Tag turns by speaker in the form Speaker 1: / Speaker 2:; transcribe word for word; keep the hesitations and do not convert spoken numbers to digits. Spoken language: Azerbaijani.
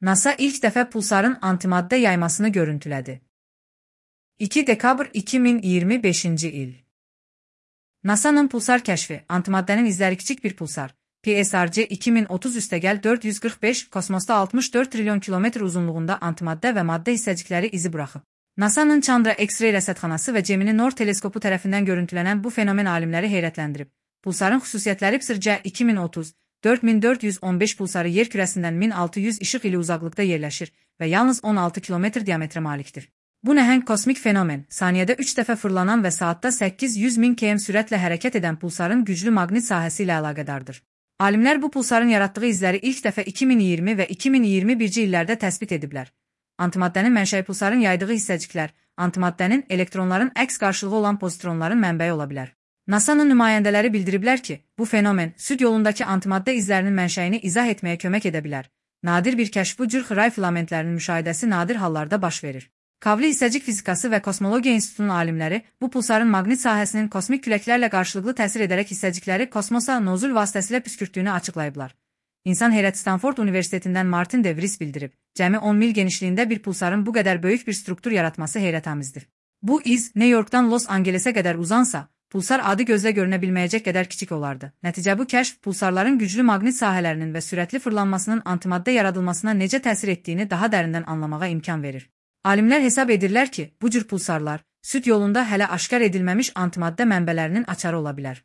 Speaker 1: NASA ilk dəfə pulsarın antimaddə yaymasını görüntülədi. iki dekabr iki min iyirmi beşinci il. NASA'nın pulsar kəşfi, antimaddənin izləri kiçik bir pulsar, P S R C iki min otuz üstəgəl dörd yüz qırx beş, kosmosda altmış dörd trilyon kilometr uzunluğunda antimaddə və maddə hissəcikləri izi buraxıb. NASA'nın Chandra X-ray rəsədxanası və Gemini Nord teleskopu tərəfindən görüntülənən bu fenomen alimləri heyrətləndirib. Pulsarın xüsusiyyətləri P S R C iki min otuz, dörd min dörd yüz on beş pulsarı yer kürəsindən min altı yüz işıq ili uzaqlıqda yerləşir və yalnız on altı kilometr diametrə malikdir. Bu nəhəng kosmik fenomen, saniyədə üç dəfə fırlanan və saatda səkkiz yüz min kilometr sürətlə hərəkət edən pulsarın güclü maqnit sahəsi ilə əlaqədardır. Alimlər bu pulsarın yaratdığı izləri ilk dəfə iki min iyirmi və iki min iyirmi birinci illərdə təsbit ediblər. Antimaddənin mənşəyi pulsarın yaydığı hissəciklər, antimaddənin elektronların əks qarşılığı olan pozitronların mənbəyi ola bilər. NASA'nın nümayəndələri bildiriblər ki, bu fenomen süd yolundakı antimaddə izlərinin mənşəyini izah etməyə kömək edə bilər. Nadir bir kəşf bu cür xray filamentlərinin müşahidəsi nadir hallarda baş verir. Kavli hissəcik fizikası və kosmologiya institutunun alimləri bu pulsarın maqnit sahəsinin kosmik küləklərlə qarşılıqlı təsir edərək hissəcikləri kosmosa nozul vasitəsilə püskürtdüyünü açıqlayıblar. İnsan heyəti Stanford Universitetindən Martin De Vries bildirib, cəmi on mil genişliyində bir pulsarın bu qədər böyük bir struktur yaratması heyrətamizdir. Bu iz New Yorkdan Los Angelesə qədər uzansa, pulsar adi gözlə görünə bilməyəcək qədər kiçik olardı. Nəticə bu kəşf pulsarların güclü maqnit sahələrinin və sürətli fırlanmasının antimaddə yaradılmasına necə təsir etdiyini daha dərindən anlamağa imkan verir. Alimlər hesab edirlər ki, bu cür pulsarlar süd yolunda hələ aşkar edilməmiş antimaddə mənbələrinin açarı ola bilər.